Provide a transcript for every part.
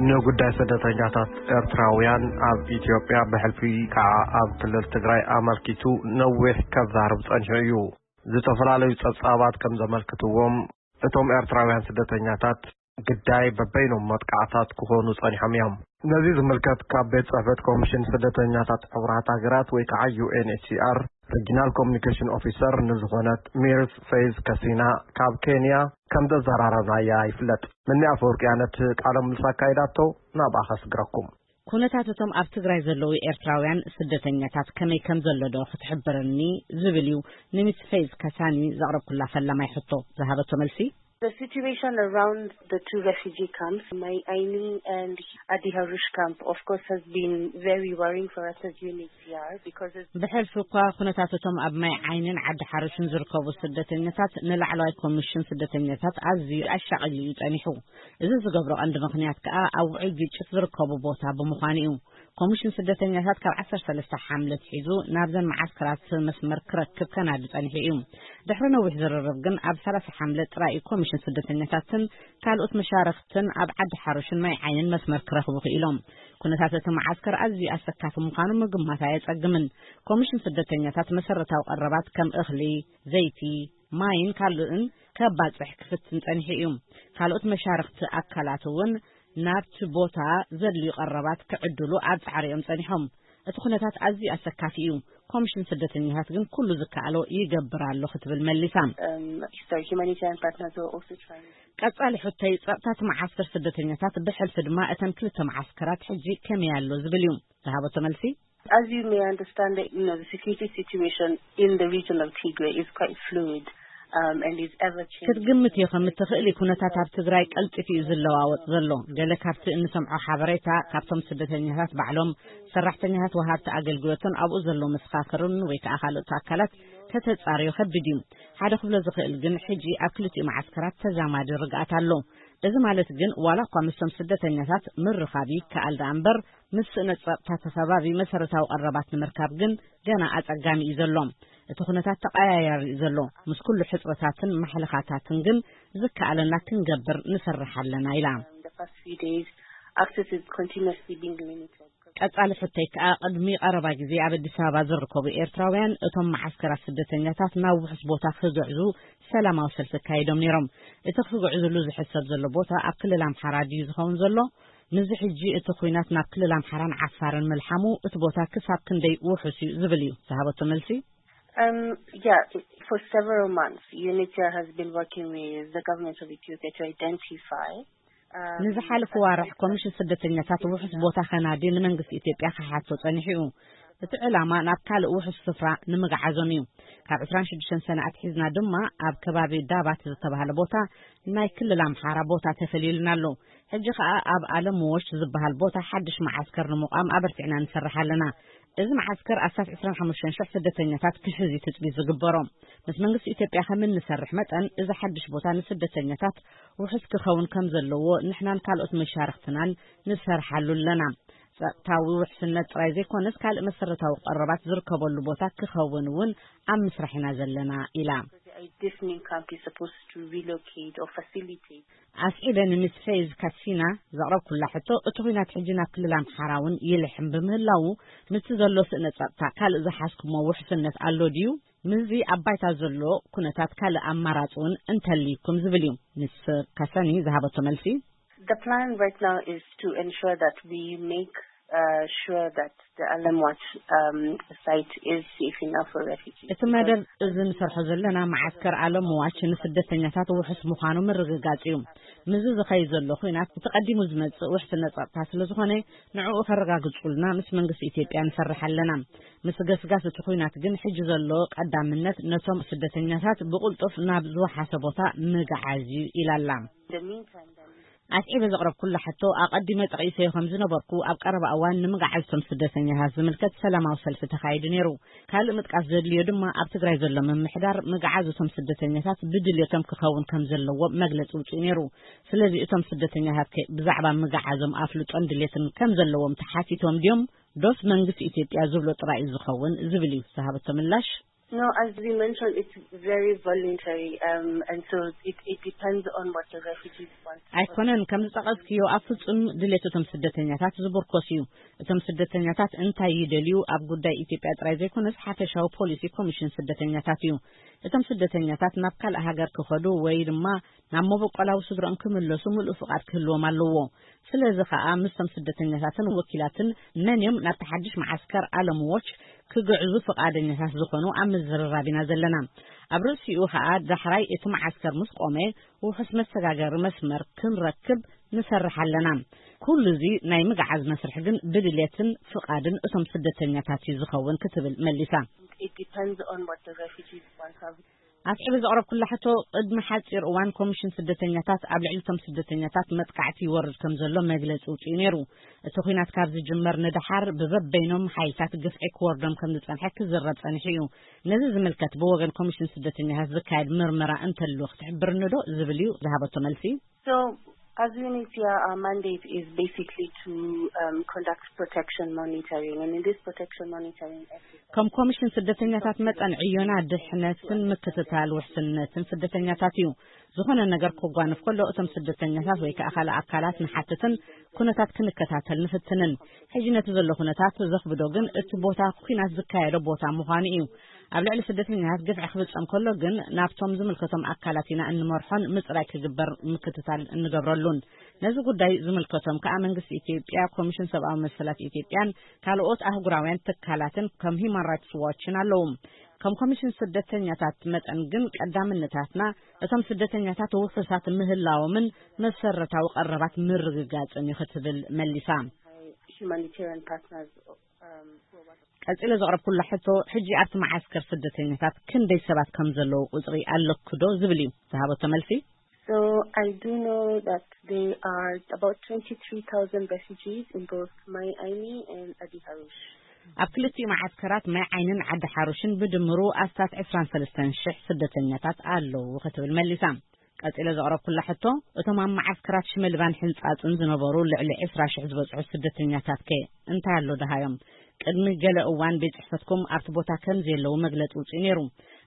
ንጉዳይ ስደተኛታት ኤርትራውያን ኣብ ኢትዮጵያ፣ ብሕልፊ ከዓ ኣብ ክልል ትግራይ ኣመልኪቱ ነዊሕ ከዛርብ ጸኒሑ እዩ። ዝተፈላለዩ ጸብጻባት ከም ዘመልክትዎም፣ እቶም ኤርትራውያን ስደተኛታት ግዳይ በበይኖም መጥቃዕታት ክኾኑ ጸኒሖም እዮም። ነዚ ዝምልከት፣ ካብ ቤት ጽሕፈት ኮሚሽን ስደተኛታት ሕቡራት ሃገራት ወይ ከዓ ዩ ኤን ኤች ሲ ኣር ሪጂናል ኮሚኒኬሽን ኦፊሰር ንዝኾነት ሚርስ ፌዝ ከሲና ካብ ኬንያ ከም ዘዘራረብናያ ይፍለጥ። ምኒ ኣፈወርቅያ ነቲ ቃለ ምልልስ ኣካይዳቶ፣ ናብኣ ከስግረኩም። ኩነታት እቶም ኣብ ትግራይ ዘለዉ ኤርትራውያን ስደተኛታት ከመይ ከም ዘሎ ዶ ክትሕብርኒ ዝብል እዩ ንሚስ ፌዝ ከሳኒ ዘቕረብኩላ ፈላማይ ሕቶ ዝሃበቶ መልሲ። The situation around the two refugee camps, Mai Aini and Adi Harush camp, of course, has been very worrying for us as U N H C R because it's ብሕልፊ እኳ ኩነታት እቶም ኣብ ማይ ዓይንን ዓዲ ሓሩሽን ዝርከቡ ስደተኛታት ንላዕለዋይ ኮሚሽን ስደተኛታት ኣዝዩ ኣሻቒሉ እዩ ጸኒሑ። እዚ ዝገብሮ ቀንዲ ምኽንያት ከኣ ኣብ ውዑይ ግጭት ዝርከቡ ቦታ ብምዃኑ እዩ። ኮሚሽን ስደተኛታት ካብ ዓሰርተ ሰለስተ ሓምለ ኣትሒዙ ናብዘን መዓስከራት መስመር ክረክብ ከናዲ ጸኒሑ እዩ። ድሕሪ ነዊሕ ዝርርብ ግን ኣብ ሰላሳ ሓምለ ጥራይ እዩ ኮሚሽን ስደተኛታትን ካልኦት መሻርኽትን ኣብ ዓዲ ሓሩሽን ማይ ዓይንን መስመር ክረኽቡ ክኢሎም። ኩነታት እቲ መዓስከር ኣዝዩ ኣሰካፊ ምዃኑ ምግማት ኣየጸግምን። ኮሚሽን ስደተኛታት መሰረታዊ ቀረባት ከም እኽሊ፣ ዘይቲ፣ ማይን ካልእን ከባጽሕ ክፍትን ጸኒሑ እዩ። ካልኦት መሻርኽቲ ኣካላት እውን ናብቲ ቦታ ዘድልዩ ቀረባት ክዕድሉ ኣብ ጻዕሪ እዮም ጸኒሖም። እቲ ኩነታት ኣዝዩ ኣሰካፊ እዩ። ኮሚሽን ስደተኛታት ግን ኩሉ ዝከኣሎ ይገብር ኣሎ ክትብል መሊሳ። Um, so humanitarian partners are also trying. ቀጻሊ ሕቶይ ጸጥታ እቲ መዓስከር ስደተኛታት ብሕልፊ ድማ እተን ክልተ መዓስከራት ሕጂ ከመይ ኣሎ ዝብል እዩ ዝሃበቶ መልሲ። As you may understand, the, you know, the security situation in the region of Tigray is quite fluid, um, and is ever changing. ክትግምት እዩ ከም እትኽእል ኩነታት ኣብ ትግራይ ቀልጢፉ እዩ ዝለዋወጥ ዘሎ። ገለ ካብቲ እንሰምዖ ሓበሬታ ካብቶም ስደተኛታት ባዕሎም፣ ሰራሕተኛታት ወሃብቲ ኣገልግሎትን ኣብኡ ዘለዉ መሰኻኽርን ወይ ከዓ ካልኦት ኣካላት ከተጻርዮ ከቢድ እዩ። ሓደ ክብሎ ዝኽእል ግን ሕጂ ኣብ ክልቲኡ መዓስከራት ተዛማዲ ርግኣት ኣሎ። እዚ ማለት ግን ዋላ እኳ ምስቶም ስደተኛታት ምርኻብ ይከኣል ደኣ እምበር ምስ ስእነት ጸጥታ እቲ ከባቢ መሰረታዊ ቀረባት ንምርካብ ግን ገና ኣጸጋሚ እዩ ዘሎ። እቲ ኩነታት ተቐያያሪ እዩ ዘሎ። ምስ ኩሉ ሕጽረታትን ማሕለኻታትን ግን ዝከኣለና ክንገብር ንሰርሕ ኣለና ኢላ። The past few days, access is continuously being limited. ቀጻሊ ሕቶይ ከኣ ቅድሚ ቀረባ ግዜ ኣብ ኣዲስ ኣበባ ዝርከቡ ኤርትራውያን እቶም መዓስከራት ስደተኛታት ናብ ውሑስ ቦታ ክግዕዙ ሰላማዊ ሰልፊ ኣካይዶም ነይሮም። እቲ ክግዕዝሉ ዝሕሰብ ዘሎ ቦታ ኣብ ክልል ኣምሓራ ድዩ ዝኸውን ዘሎ? ምስዚ ሕጂ እቲ ኲናት ናብ ክልል ኣምሓራን ዓፋርን ምልሓሙ እቲ ቦታ ክሳብ ክንደይ ውሑስ እዩ ዝብል እዩ ዝሃበቶ መልሲ። Um, yeah, it- for several months, U N H C R has been working with the government of Ethiopia to identify, um, ንዝሓለፉ ዋርሕ ኮሚሽን ስደተኛታት ውሑስ ቦታ ከናዲ ንመንግስቲ ኢትዮጵያ ክሓቶ ጸኒሑ እዩ። እቲ ዕላማ ናብ ካልእ ውሑስ ስፍራ ንምግዓዞም እዩ። ካብ ዕስራን ሽዱሽተን ሰነ ኣትሒዝና ድማ ኣብ ከባቢ ዳባት ዝተባህለ ቦታ ናይ ክልል ኣምሓራ ቦታ ተፈልዩልና ኣሎ። ሕጂ ኸኣ ኣብ ኣለምዎሽ ዝበሃል ቦታ ሓድሽ መዓስከር ንምቋም ኣበርቲዕና ንሰርሕ ኣለና። እዚ መዓስከር ኣስታት ዕስራን ሓሙሽተን ሽሕ ስደተኛታት ክሕዝ እዩ ትጽቢት ዝግበሮ። ምስ መንግስቲ ኢትዮጵያ ከም እንሰርሕ መጠን፣ እዚ ሓድሽ ቦታ ንስደተኛታት ውሑስ ክኸውን ከም ዘለዎ ንሕናን ካልኦት መሻርኽትናን ንሰርሓሉ ኣለና። ጸጥታዊ ውሕስነት ጥራይ ዘይኮነስ፣ ካልእ መሰረታዊ ቀረባት ዝርከበሉ ቦታ ክኸውን እውን ኣብ ምስራሕ ኢና ዘለና ኢላ። A deepening camp is supposed to relocate or facilitate. ኣስዒበ ንሚስ ፌዝ ካሲና ዘቕረብኩላ ሕቶ፣ እቲ ኲናት ሕጂ ናብ ክልል ኣምሓራ እውን ይልሕም ብምህላዉ፣ ምስቲ ዘሎ ስእነ ጸጥታ ካልእ ዝሓዝኩሞ ውሕስነት ኣሎ ድዩ? ምስዚ ኣብ ባይታ ዘሎ ኩነታት ካልእ ኣማራጺ እውን እንተልይኩም ዝብል እዩ። ሚስ ካሳኒ ዝሃበቶ መልሲ። The plan right now is to ensure that we make, uh, sure that the Alamwat, um, site is safe enough for refugees. እቲ መደብ እዚ ንሰርሖ ዘለና መዓስከር ኣለምዋች ንስደተኛታት ውሑስ ምዃኑ ምርግጋጽ እዩ። ምስዚ ዝኸይድ ዘሎ ኲናት እቲ ቀዲሙ ዝመጽእ ውሕስነት ጸጥታ ስለ ዝኾነ፣ ንዕኡ ከረጋግጹልና ምስ መንግስቲ ኢትዮጵያ ንሰርሕ ኣለና። ምስ ገስጋስ እቲ ኲናት ግን ሕጂ ዘሎ ቀዳምነት ነቶም ስደተኛታት ብቕልጡፍ ናብ ዝወሓሰ ቦታ ምግዓዝ እዩ ኢላ ኣላ። In the meantime, then, ኣስዒበ ዘቕረብኩላ ሕቶ፣ ኣቐዲመ ጠቒሰዮ ከም ዝነበርኩ፣ ኣብ ቀረባ እዋን ንምግዓዝ እቶም ስደተኛታት ዝምልከት ሰላማዊ ሰልፊ ተኻይዱ ነይሩ። ካልእ ምጥቃስ ዘድልዮ ድማ፣ ኣብ ትግራይ ዘሎ ምምሕዳር ምግዓዝ እቶም ስደተኛታት ብድልየቶም ክኸውን ከም ዘለዎ መግለጺ ውፅኡ ነይሩ። ስለዚ እቶም ስደተኛታት ከ ብዛዕባ ምግዓዞም ኣፍልጦን ድልየትን ከም ዘለዎም ተሓቲቶም ድዮም? ዶስ መንግስቲ ኢትዮጵያ ዝብሎ ጥራይ እዩ ዝኸውን ዝብል እዩ ዝሃበቶ ምላሽ። No, as we mentioned, it's very voluntary, um, and so it, it depends on what the refugees want. ኣይኮነን፣ ከም ዝጠቐስክዮ ኣብ ፍጹም ድሌት እቶም ስደተኛታት ዝምርኮስ እዩ። እቶም ስደተኛታት እንታይ ይደልዩ ኣብ ጉዳይ ኢትዮጵያ ጥራይ ዘይኮነስ ሓፈሻዊ ፖሊሲ ኮሚሽን ስደተኛታት እዩ። እቶም ስደተኛታት ናብ ካልእ ሃገር ክኸዱ ወይ ድማ ናብ መበቆላዊ ስድሮኦም ክምለሱ ምሉእ ፍቓድ ክህልዎም ኣለዎ። ስለዚ ኸኣ ምስቶም ስደተኛታትን ወኪላትን መን እዮም ናብቲ ሓድሽ መዓስከር ኣለምዎች ክግዕዙ ፍቓደኛታት ዝኾኑ ኣብ ምዝርራብ ኢና ዘለና። ኣብ ርእሲኡ ኸኣ ዳሕራይ እቲ መዓስከር ምስ ቆመ ውሑስ መሰጋገሪ መስመር ክንረክብ ንሰርሕ ኣለና። ኩሉ እዚ ናይ ምግዓዝ መስርሕ ግን ብድሌትን ፍቓድን እቶም ስደተኛታት እዩ ዝኸውን ክትብል መሊሳ። It depends on what the refugees want. ኣስዒበ ዘቕረብኩላ ሕቶ፣ ቅድሚ ሓጺር እዋን ኮሚሽን ስደተኛታት ኣብ ልዕሊ እቶም ስደተኛታት መጥቃዕቲ ይወርድ ከም ዘሎ መግለጺ ውጽኡ ነይሩ። እቲ ኲናት ካብ ዝጅመር ንደሓር ብበበይኖም ሓይልታት ግፍዒ ክወርዶም ከም ዝጸንሐ ክዝረብ ጸኒሑ እዩ። ነዚ ዝምልከት ብወገን ኮሚሽን ስደተኛታት ዝካየድ ምርመራ እንተሎ ክትሕብርኒ ዶ ዝብል እዩ ዝሃበቶ መልሲ። So, as UNHCR, our mandate is basically to um, conduct protection monitoring, and in this protection monitoring exercise, ከም ኮሚሽን ስደተኛታት መጠን ዕዮና ድሕነትን ምክትታል ውሕስነትን ስደተኛታት እዩ። ዝኾነ ነገር ክጓነፍ ከሎ እቶም ስደተኛታት ወይ ከኣ ካልእ ኣካላት ንሓትትን ኩነታት ክንከታተል ንፍትንን። ሕጂ ነቲ ዘሎ ኩነታት ዘኽብዶ ግን እቲ ቦታ ኲናት ዝካየዶ ቦታ ምዃኑ እዩ። ኣብ ልዕሊ ስደተኛታት ግፍዒ ክፍጸም ከሎ ግን ናብቶም ዝምልከቶም ኣካላት ኢና እንመርሖን ምጽራይ ክግበር ምክትታል እንገብረሉን። ነዚ ጉዳይ ዝምልከቶም ከኣ መንግስቲ ኢትዮጵያ፣ ኮሚሽን ሰብኣዊ መሰላት ኢትዮጵያን ካልኦት ኣህጉራውያን ትካላትን ከም ሂማን ራይትስ ዋችን ኣለዉ። ከም ኮሚሽን ስደተኛታት መጠን ግን ቀዳምነታትና እቶም ስደተኛታት ውሑሳት ምህላዎምን መሰረታዊ ቀረባት ምርግጋጽን እዩ ክትብል መሊሳ። Humanitarian partners, um, who are ቀጺለ ዘቕረብኩላ ሕቶ፣ ሕጂ ኣብቲ መዓስከር ስደተኛታት ክንደይ ሰባት ከም ዘለዉ ቁጽሪ ኣለኩ ዶ ዝብል እዩ ዝሃበቶ መልሲ። So I do know that there are about twenty-three thousand refugees in both Mai Aini and Adi Harush. ኣብ ክልቲኡ መዓስከራት ማይ ዓይንን ዓዲ ሓሩሽን ብድምሩ ኣስታት ዕስራን ሰለስተን ሽሕ ስደተኛታት ኣለዉ ክትብል መሊሳ። ቀጺለ ዘቕረብኩላ ሕቶ፣ እቶም ኣብ መዓስከራት ሽመልባን ሕንጻጽን ዝነበሩ ልዕሊ ዕስራ ሽሕ ዝበጽሑ ስደተኛታት ከ እንታይ ኣሎ ደሃዮም? ቅድሚ ገለ እዋን ቤት ጽሕፈትኩም ኣብቲ ቦታ ከም ዘየለዉ መግለጺ ውጽኡ ነይሩ።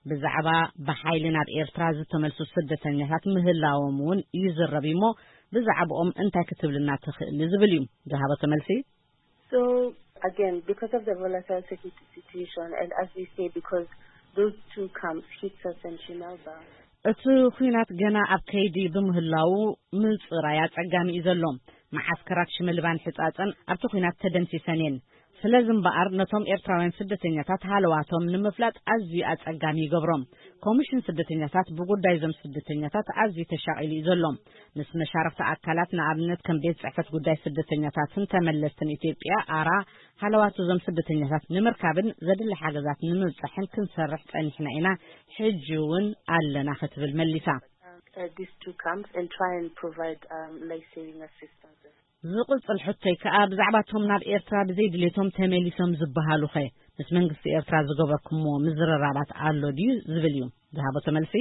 ብዛዕባ ብሓይሊ ናብ ኤርትራ ዝተመልሱ ስደተኛታት ምህላዎም እውን ይዝረብ እዩ እሞ፣ ብዛዕባኦም እንታይ ክትብልና ትኽእሊ ዝብል እዩ ዝሃበቶ መልሲ። So, again, because of the volatile security situation, and as we say, because those two camps, Hitsas and Shimelba, እቲ ኲናት ገና ኣብ ከይዲ ብምህላዉ ምጽራይ ኣጸጋሚ እዩ ዘሎ። መዓስከራት ሽመልባን ሕጻጸን ኣብቲ ኲናት ተደምሲሰን እየን። ስለዚ እምበኣር ነቶም ኤርትራውያን ስደተኛታት ሃለዋቶም ንምፍላጥ ኣዝዩ ኣጸጋሚ ይገብሮም። ኮሚሽን ስደተኛታት ብጉዳይ እዞም ስደተኛታት ኣዝዩ ተሻቒሉ እዩ ዘሎ። ምስ መሻርኽቲ ኣካላት ንኣብነት ከም ቤት ጽሕፈት ጉዳይ ስደተኛታትን ተመለስትን ኢትዮጵያ ኣራ ሃለዋት እዞም ስደተኛታት ንምርካብን ዘድሊ ሓገዛት ንምብጻሕን ክንሰርሕ ጸኒሕና ኢና፣ ሕጂ እውን ኣለና ክትብል መሊሳ። Uh, these two camps and try and provide um, life-saving assistance. ዝቕጽል ሕቶይ ከኣ ብዛዕባ እቶም ናብ ኤርትራ ብዘይ ድሌቶም ተመሊሶም ዝበሃሉኸ ምስ መንግስቲ ኤርትራ ዝገበርኩምዎ ምዝርራባት ኣሎ ድዩ ዝብል እዩ ዝሃበቶ መልሲ።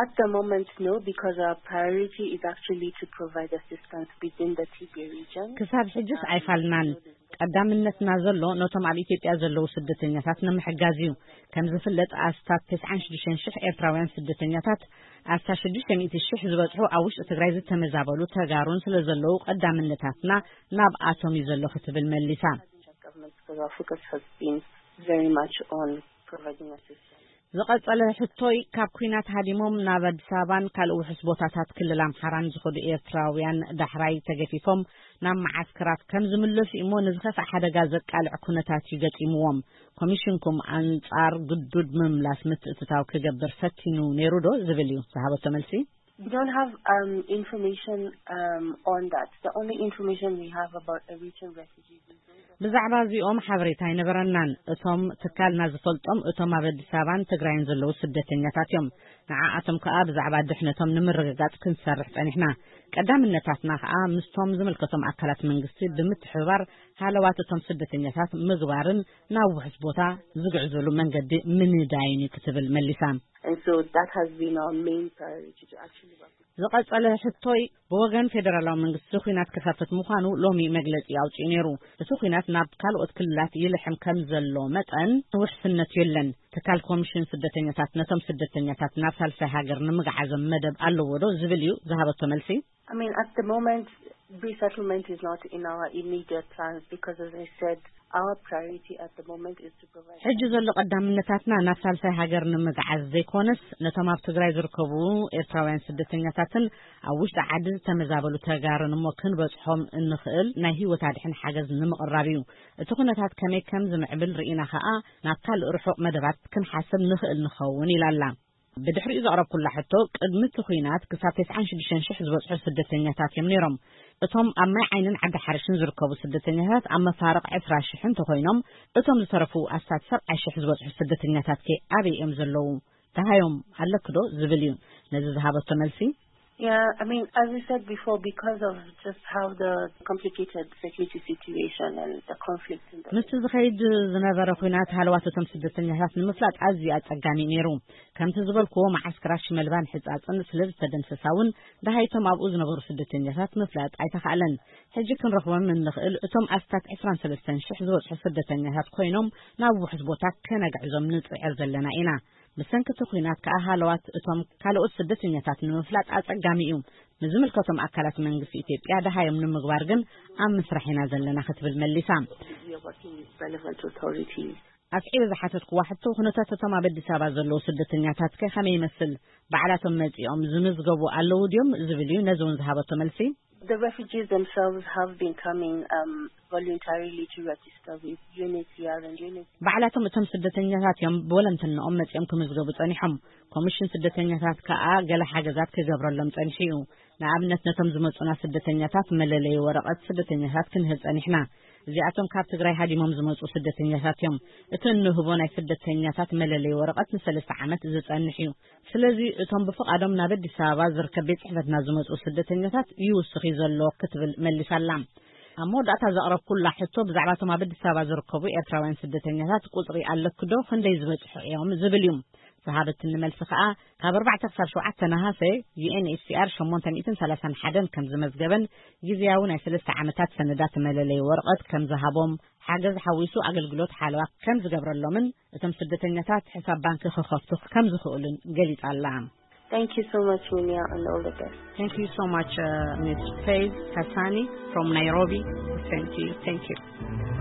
At the moment, no, because our priority is actually to provide assistance within the Tigray region. ክሳብ ሕጅስ ኣይፋልናን። ቀዳምነትና ዘሎ ነቶም ኣብ ኢትዮጵያ ዘለዉ ስደተኛታት ንምሕጋዝ እዩ። ከም ዝፍለጥ ኣስታት ተስዓን ሽዱሽተን ሽሕ ኤርትራውያን ስደተኛታት ኣስታት ሽዱሽተ ሚእቲ ሽሕ ዝበጽሑ ኣብ ውሽጢ ትግራይ ዝተመዛበሉ ተጋሩን ስለ ዘለዉ ቀዳምነታትና ናብኣቶም እዩ ዘሎ ክትብል መሊሳ። Government, because our focus has been very much on providing assistance. ዝቐጸለ ሕቶይ፣ ካብ ኲናት ሃዲሞም ናብ ኣዲስ ኣበባን ካልእ ውሑስ ቦታታት ክልል ኣምሓራን ዝኸዱ ኤርትራውያን ዳሕራይ ተገፊፎም ናብ መዓስከራት ከም ዝምለሱ እሞ ንዝኸፍእ ሓደጋ ዘቃልዕ ኩነታት እዩ ገጢምዎም። ኮሚሽንኩም ኣንጻር ግዱድ ምምላስ ምትእትታው ክገብር ፈቲኑ ነይሩ ዶ ዝብል እዩ ዝሃበቶ መልሲ። We don't have um, information um, on that. The only information we have about Eritrean refugees is those that ብዛዕባ እዚኦም ሓበሬታ ኣይነበረናን። እቶም ትካልና ዝፈልጦም እቶም ኣብ ኣዲስ ኣበባን ትግራይን ዘለዉ ስደተኛታት እዮም። ንዓኣቶም ከኣ ብዛዕባ ድሕነቶም ንምርግጋጽ ክንሰርሕ ጸኒሕና። ቀዳምነታትና ከኣ ምስቶም ዝምልከቶም ኣካላት መንግስቲ ብምትሕብባር ሃለዋት እቶም ስደተኛታት ምግባርን ናብ ውሑስ ቦታ ዝግዕዝሉ መንገዲ ምንዳይን እዩ ክትብል መሊሳ። And so that has been our main priority to actually work with ዝቐጸለ ሕቶይ ብወገን ፌደራላዊ መንግስቲ ኲናት ክኸፍት ምዃኑ ሎሚ መግለጺ ኣውጺኡ ነይሩ። እቲ ኲናት ናብ ካልኦት ክልላት ይልሕም ከም ዘሎ መጠን ውሕስነት የለን። ትካል ኮሚሽን ስደተኛታት ነቶም ስደተኛታት ናብ ሳልሳይ ሃገር ንምግዓዞም መደብ ኣለዎ ዶ ዝብል እዩ ዝሃበቶ መልሲ። I mean, at the moment, resettlement is not in our immediate plans because, as I said, our priority at the moment is to provide. ሕጂ ዘሎ ቀዳምነታትና ናብ ሳልሳይ ሃገር ንምግዓዝ ዘይኮነስ ነቶም ኣብ ትግራይ ዝርከቡ ኤርትራውያን ስደተኛታትን ኣብ ውሽጢ ዓዲ ዝተመዛበሉ ተጋሩን እሞ ክንበጽሖም እንኽእል ናይ ህይወት ኣድሕን ሓገዝ ንምቕራብ እዩ። እቲ ኩነታት ከመይ ከም ዝምዕብል ርኢና ከኣ ናብ ካልእ ርሑቕ መደባት ክንሓስብ ንኽእል ንኸውን ኢላ ኣላ። ብድሕሪኡ ዘቕረብኩላ ሕቶ፣ ቅድሚ እቲ ኲናት ክሳብ ተስዓን ሽዱሽተን ሽሕ ዝበጽሑ ስደተኛታት እዮም ነይሮም። እቶም ኣብ ማይ ዓይንን ዓዲ ሓርሽን ዝርከቡ ስደተኛታት ኣብ መፋርቕ ዕስራ ሽሕ እንተኾይኖም፣ እቶም ዝተረፉ ኣስታት ሰብዓ ሽሕ ዝበጽሑ ስደተኛታት ከ ኣበይ እዮም ዘለዉ? ደሃዮም ኣለኪ ዶ ዝብል እዩ ነዚ ዝሃበቶ መልሲ። Yeah, I mean, as we said before, because of just how the complicated security situation and the conflict in the ምስቲ ዝኸይድ ዝነበረ ኲናት ሃለዋት እቶም ስደተኛታት ንምፍላጥ ኣዝዩ ኣጸጋሚ እዩ ነይሩ። ከምቲ ዝበልክዎ፣ መዓስከራት ሽመልባን ሕጻጽን ስለ ዝተደምሰሳ እውን ደሃይቶም ኣብኡ ዝነበሩ ስደተኛታት ምፍላጥ ኣይተኻእለን። ሕጂ ክንረኽቦም እንኽእል እቶም ኣስታት ዕስራን ሰለስተን ሽሕ ዝበጽሑ ስደተኛታት ኮይኖም ናብ ውሑስ ቦታ ከነግዕዞም ንጽዕር ዘለና ኢና። ብሰንኪ እቲ ኲናት ከኣ ሃለዋት እቶም ካልኦት ስደተኛታት ንምፍላጥ ኣጸጋሚ እዩ። ንዝምልከቶም ኣካላት መንግስቲ ኢትዮጵያ ደሃዮም ንምግባር ግን ኣብ ምስራሕ ኢና ዘለና ክትብል መሊሳ። We are working with relevant authorities. ኣስዒበ ዝሓተትክዋ ሕቶ፣ ኩነታት እቶም ኣብ ኣዲስ ኣበባ ዘለዉ ስደተኛታት ከ ከመይ ይመስል? ባዕላቶም መጺኦም ዝምዝገቡ ኣለዉ ድዮም ዝብል እዩ ነዚ እውን ዝሃበቶ መልሲ። The refugees themselves have been coming um, voluntarily to register with UNHCR and UNHCR. ባዕላቶም እቶም ስደተኛታት እዮም ብወለንትንኦም መጺኦም ክምዝገቡ ጸኒሖም። ኮሚሽን ስደተኛታት ከኣ ገለ ሓገዛት ክገብረሎም ጸኒሑ እዩ። ንኣብነት ነቶም ዝመጹና ስደተኛታት መለለዪ ወረቐት ስደተኛታት ክንህብ ጸኒሕና። እዚኣቶም ካብ ትግራይ ሃዲሞም ዝመጹ ስደተኛታት እዮም። እቲ እንህቦ ናይ ስደተኛታት መለለዪ ወረቐት ንሰለስተ ዓመት ዝጸንሕ እዩ። ስለዚ እቶም ብፍቓዶም ናብ ኣዲስ ኣበባ ዝርከብ ቤት ጽሕፈትና ዝመጹ ስደተኛታት ይውስኽ እዩ ዘሎ ክትብል መሊሳ ኣላ። ኣብ መወዳእታ ዘቕረብኩላ ሕቶ ብዛዕባ እቶም ኣብ ኣዲስ ኣበባ ዝርከቡ ኤርትራውያን ስደተኛታት ቁጽሪ ኣለኪ ዶ? ክንደይ ዝበጽሑ እዮም ዝብል እዩ። ዝሃበትኒ መልሲ ከኣ ካብ ኣርባዕተ ክሳብ ሸውዓተ ነሃሰ ዩ ኤን ኤች ሲ ኣር ሸሞንተ ሚእትን ሰላሳን ሓደን ከም ዝመዝገበን ግዝያዊ ናይ ሰለስተ ዓመታት ሰነዳት መለለዪ ወረቐት ከም ዝሃቦም ሓገዝ ሓዊሱ ኣገልግሎት ሓለዋ ከም ዝገብረሎምን እቶም ስደተኛታት ሕሳብ ባንኪ ክኸፍቱ ከም ዝኽእሉን ገሊጻ ኣላ። Thank you so much, Minia, and all the best. Thank you so much, uh, Miss Faith Hassani from Nairobi. Thank you. Thank you.